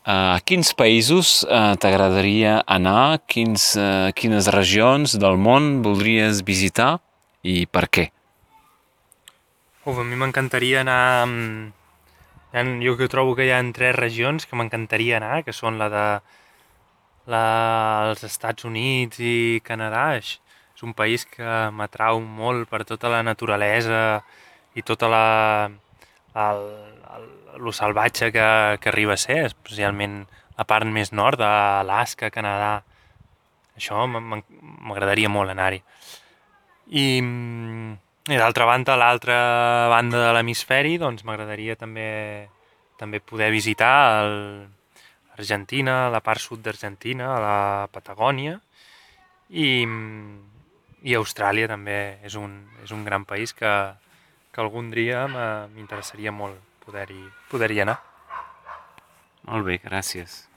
A quins països t'agradaria anar? Quines regions del món voldries visitar i per què? A mi m'encantaria anar... Jo que trobo que hi ha 3 regions que m'encantaria anar, que són els Estats Units i Canadà. És un país que m'atrau molt per tota la naturalesa i tota lo salvatge que arriba a ser, especialment la part més nord d'Alaska, Canadà. Això m'agradaria molt anar-hi. I, i d'altra banda, a l'altra banda de l'hemisferi, doncs m'agradaria també poder visitar Argentina, la part sud d'Argentina, a la Patagònia, i, i Austràlia també és un gran país que algun dia m'interessaria molt poder-hi anar. Molt bé, gràcies.